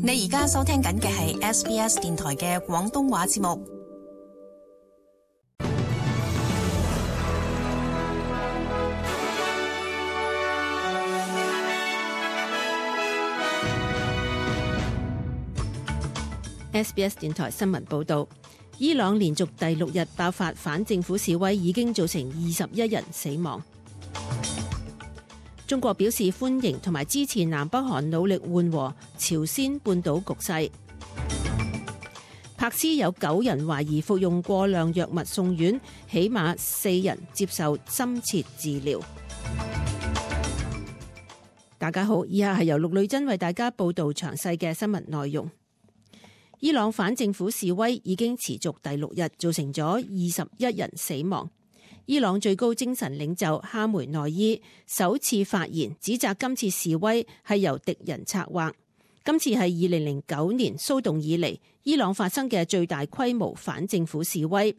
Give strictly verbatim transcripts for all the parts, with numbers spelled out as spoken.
你而家收聽緊嘅係 S B S 電台嘅廣東話節目。S B S 電台新聞報道，伊朗連續第六日爆發反政府示威，已經造成二十一人死亡。中國表示歡迎同埋支持南北韓努力緩和朝鮮半島局勢。柏斯有九人懷疑服用過量藥物送院，起碼四人接受深切治療。大家好，以下係由陸女珍為大家報道詳細嘅新聞內容。伊朗反政府示威已經持續第六日，造成咗二十一人死亡。伊朗最高精神領袖哈梅內伊首次發言，指責今次示威係由敵人策劃。今次係二零零九年騷動以嚟伊朗發生嘅最大規模反政府示威。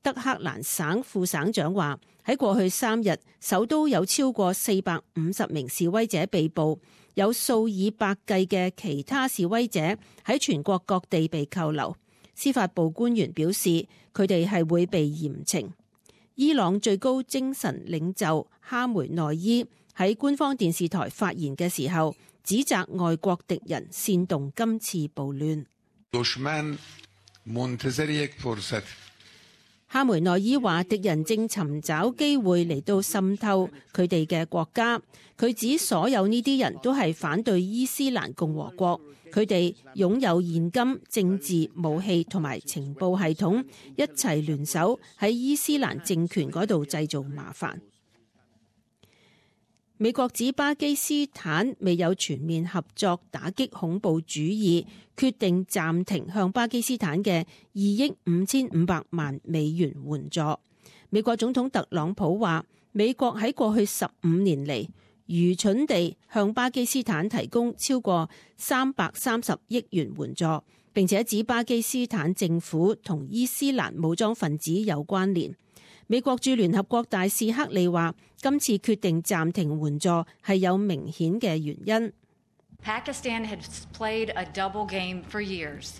德黑蘭省副省長話，喺過去三日，首都有超過四百五十名示威者被捕，有數以百計嘅其他示威者喺全國各地被扣留。司法部官員表示，佢哋係會被嚴懲。伊朗最高精神領袖哈梅內伊喺官方電視台發言嘅時候，指責外國敵人煽動今次暴亂。哈梅內伊話，敵人正尋找機會嚟到滲透佢哋嘅國家。佢指所有呢啲人都係反對伊斯蘭共和國，佢哋擁有現金、政治、武器同埋情報系統，一齊聯手喺伊斯蘭政權嗰度製造麻煩。美國指巴基斯坦未有全面合作打擊恐怖主義，決定暫停向巴基斯坦嘅二億五千五百萬美元援助。美國總統特朗普話，美國喺過去十五年嚟愚蠢地向巴基斯坦提供超過三百三十億元援助，並且指巴基斯坦政府同伊斯蘭武裝分子有關聯。美國駐聯合國大使克利話，今次決定暫停援助係有明顯嘅原因。Pakistan has played a double game for years.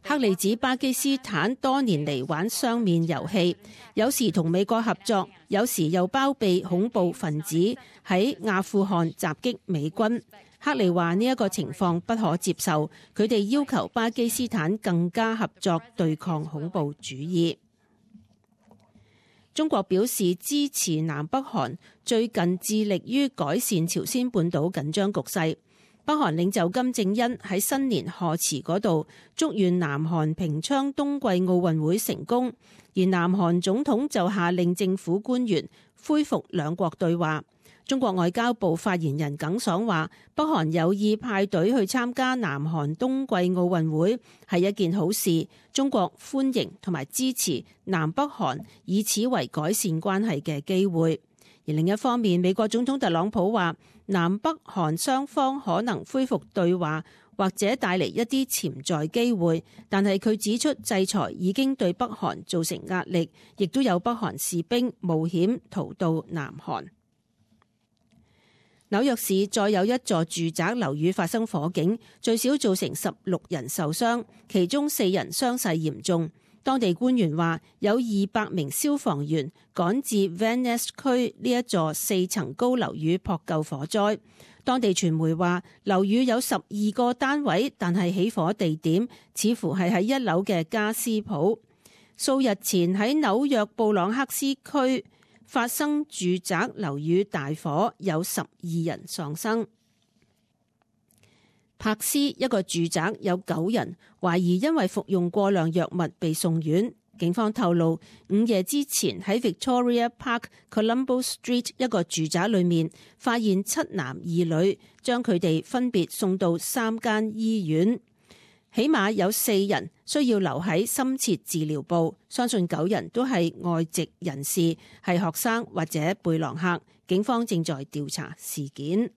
克利指巴基斯坦多年嚟玩雙面遊戲，有時同美國合作，有時又包庇恐怖分子喺阿富汗襲擊美軍。克利話呢一個情況不可接受，佢哋要求巴基斯坦更加合作對抗恐怖主義。中國表示支持南北韓最近致力於改善朝鮮半島緊張局勢。北韓領袖金正恩喺新年賀詞嗰度祝願南韓平昌冬季奧運會成功，而南韓總統就下令政府官員恢復兩國對話。中國外交部發言人耿爽話，北韓有意派隊去參加南韓冬季奧運會係一件好事，中國歡迎同埋支持南北韓以此為改善關係嘅機會。而另一方面，美國總統特朗普話，南北韓雙方可能恢復對話，或者帶嚟一啲潛在機會，但係佢指出制裁已經對北韓造成壓力，亦都有北韓士兵冒險逃到南韓。紐約市再有一座住宅樓宇發生火警，最少造成十六人受傷，其中四人傷勢嚴重。當地官員話，有二百名消防員趕至 Van Ness 區呢一座四層高樓宇撲救火災。當地傳媒話，樓宇有十二個單位，但係起火地點似乎係喺一樓嘅家私鋪。數日前喺紐約布朗克斯區發生住宅樓宇大火，有十二人喪生。柏斯一個住宅有九人懷疑因為服用過量藥物被送院。警方透露，午夜之前喺 Victoria Park Colombo Street 一個住宅裏面發現七男二女，將佢哋分別送到三間醫院。起碼有四人需要留喺深切治療部，相信九人都係外籍人士，係學生或者背囊客。警方正在調查事件。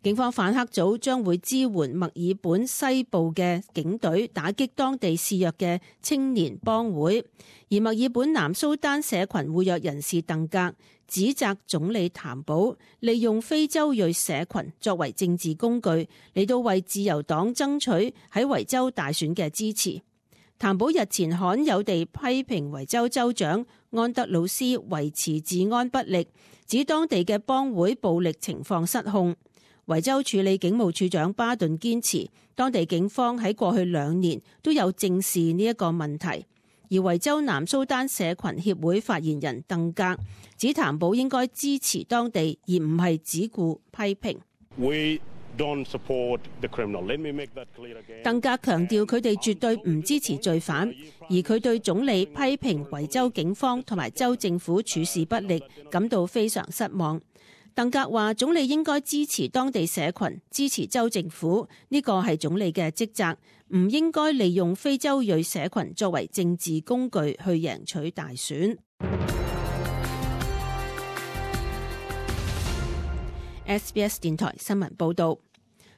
警方反黑組將會支援墨爾本西部嘅警隊打擊當地肆虐嘅青年幫會，而墨爾本南蘇丹社群活躍人士鄧格指責總理譚寶利用非洲裔社群作為政治工具嚟到為自由黨爭取喺維州大選嘅支持。譚寶日前罕有地批評維州州長安德魯斯維持治安不力，指當地嘅幫會暴力情況失控。維州處理警務處長巴頓堅持，當地警方喺過去兩年都有正視呢一個問題。而維州南蘇丹社群協會發言人鄧格指譚寶應該支持當地，而唔係只顧批評。We don't support the criminal. Let me make that clear again. 鄧格強調佢哋絕對唔支持罪犯，而佢對總理批評維州警方同埋州政府處事不力感到非常失望。鄧格話總理應該支持當地社群，支持州政府，呢個係總理嘅職責，唔應該利用非洲裔社群作為政治工具去贏取大選。S B S 電台新聞報道，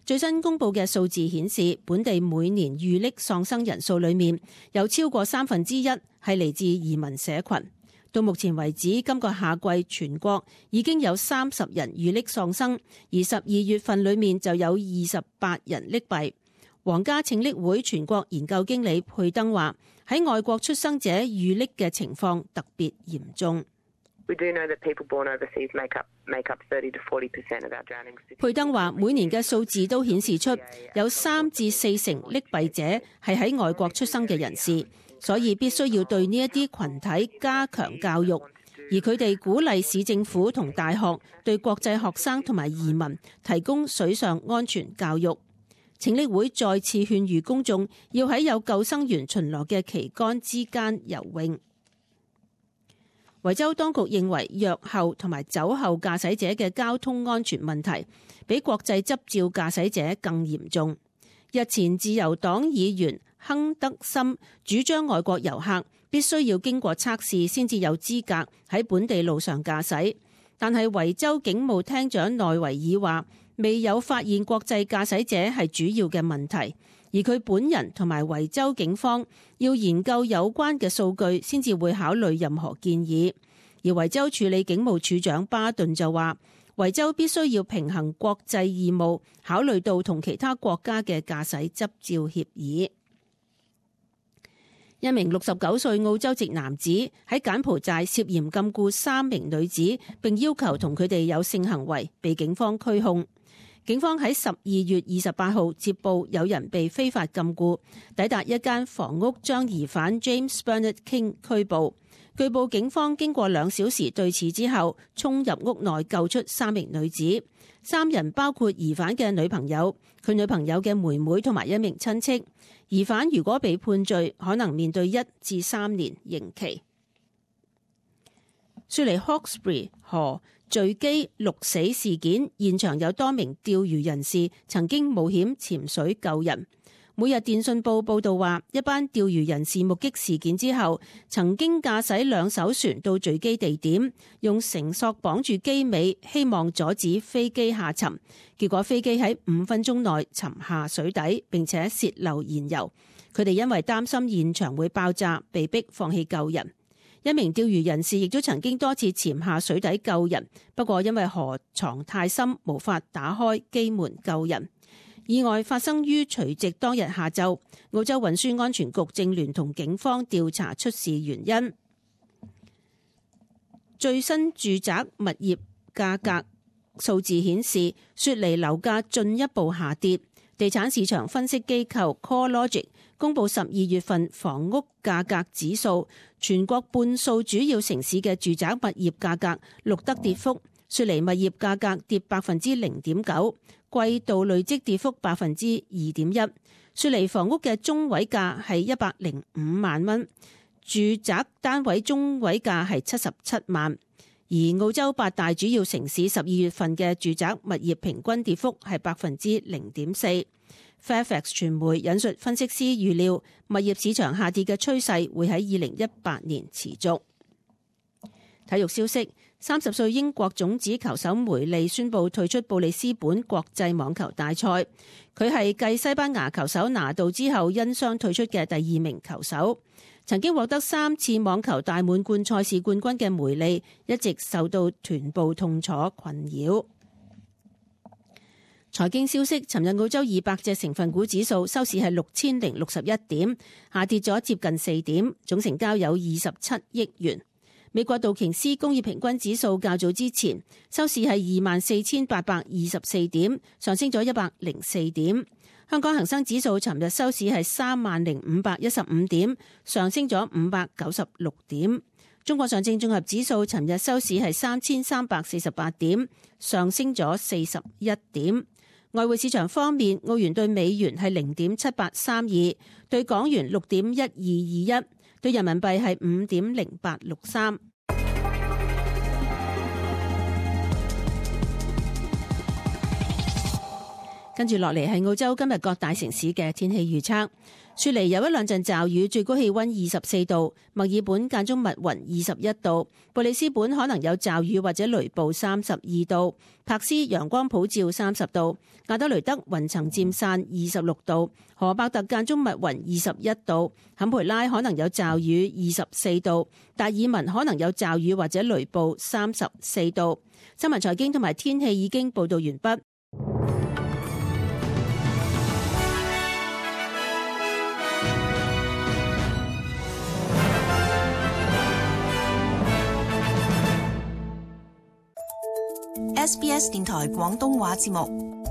最新公布嘅數字顯示，本地每年遇溺喪生人數裏面有超過三分之一係嚟自移民社群。到目前為止，今個夏季全國已經有三十人遇溺喪生，而十二月份裏面就有二十八人溺斃。皇家拯溺會全國研究經理佩登話：喺外國出生者遇溺嘅情況特別嚴重。佩登話：每年嘅數字都顯示出有三至四成溺斃者係喺外國出生嘅人士。所以必須要對呢一啲群體加強教育，而佢哋鼓勵市政府同大學對國際學生同埋移民提供水上安全教育。拯溺會再次勸喻公眾要喺有救生員巡邏嘅旗杆之間游泳。維州當局認為藥後同埋酒後駕駛者嘅交通安全問題比國際執照駕駛者更嚴重。日前自由黨議員亨德森主張外國遊客必須要經過測試先至有資格喺本地路上駕駛，但係維州警務廳長內維爾話未有發現國際駕駛者係主要嘅問題，而佢本人同埋維州警方要研究有關嘅數據先至會考慮任何建議。而維州處理警務處長巴頓就話維州必須要平衡國際義務，考慮到同其他國家嘅駕駛執照協議。一名六十九歲澳洲籍男子喺柬埔寨涉嫌禁錮三名女子，並要求同佢哋有性行為，被警方拘控。警方喺十二月二十八號接報有人被非法禁錮，抵達一間房屋將疑犯 James Bernard King 拘捕。據報警方經過兩小時對峙之後，衝入屋內救出三名女子。三人包括疑犯嘅女朋友、佢女朋友嘅妹妹同埋一名親戚。疑犯如果被判罪，可能面對一至三年刑期。雪梨 Hawkesbury 河墜機六死事件現場有多名釣魚人士曾經冒險潛水救人。每日電訊報報道話，一班釣魚人士目擊事件之後，曾經駕駛兩艘船到墜機地點，用繩索綁住機尾，希望阻止飛機下沉。結果飛機喺五分鐘內沉下水底，並且洩漏燃油。佢哋因為擔心現場會爆炸，被迫放棄救人。一名釣魚人士亦都曾經多次潛下水底救人，不過因為河床太深，無法打開機門救人。意外發生於除夕當日下晝，澳洲運輸安全局正聯同警方調查出事原因。最新住宅物業價格數字顯示，雪梨樓價進一步下跌。地產市場分析機構 CoreLogic 公布十二月份房屋價格指數，全國半數主要城市嘅住宅物業價格錄得跌幅。雪梨物業價格跌百分之零點九，季度累積跌幅百分之二點一。雪梨房屋嘅中位價係一百零五萬蚊，住宅單位中位價係七十七萬。而澳洲八大主要城市十二月份嘅住宅物業平均跌幅係百分之零點四。Fairfax 傳媒引述分析師預料，物業市場下跌嘅趨勢會喺二零一八年持續。體育消息。三十歲英國種子球手梅利宣布退出布里斯本國際網球大賽，佢係繼西班牙球手拿度之後因傷退出嘅第二名球手。曾經獲得三次網球大滿貫賽事冠軍嘅梅利一直受到臀部痛楚困擾。財經消息，尋日澳洲二百隻成分股指數收市係六千零六十一點，下跌咗接近四點，總成交有二十七億元。美國道瓊斯工業平均指數較早之前收市係二萬四千八百二十四點，上升咗一百零四點。香港恒生指數尋日收市係三萬零五百一十五點，上升咗五百九十六點。中國上證綜合指數尋日收市係三千三百四十八點，上升咗四十一點。外匯市場方面，澳元對美元係零點七八三二，對港元六點一二二一，對人民幣係五點零八六三。跟住落嚟係澳洲今日各大城市嘅天氣預測。雪梨有一兩陣驟雨，最高氣溫二十四度；墨爾本間中密雲，二十一度；布里斯本可能有驟雨或者雷暴，三十二度；柏斯陽光普照，三十度；亞德雷德雲層漸散，二十六度；荷伯特間中密雲，二十一度；坎培拉可能有驟雨，二十四度；達爾文可能有驟雨或者雷暴，三十四度。新聞財經同埋天氣已經報道完畢。S B S 電台廣東話節目。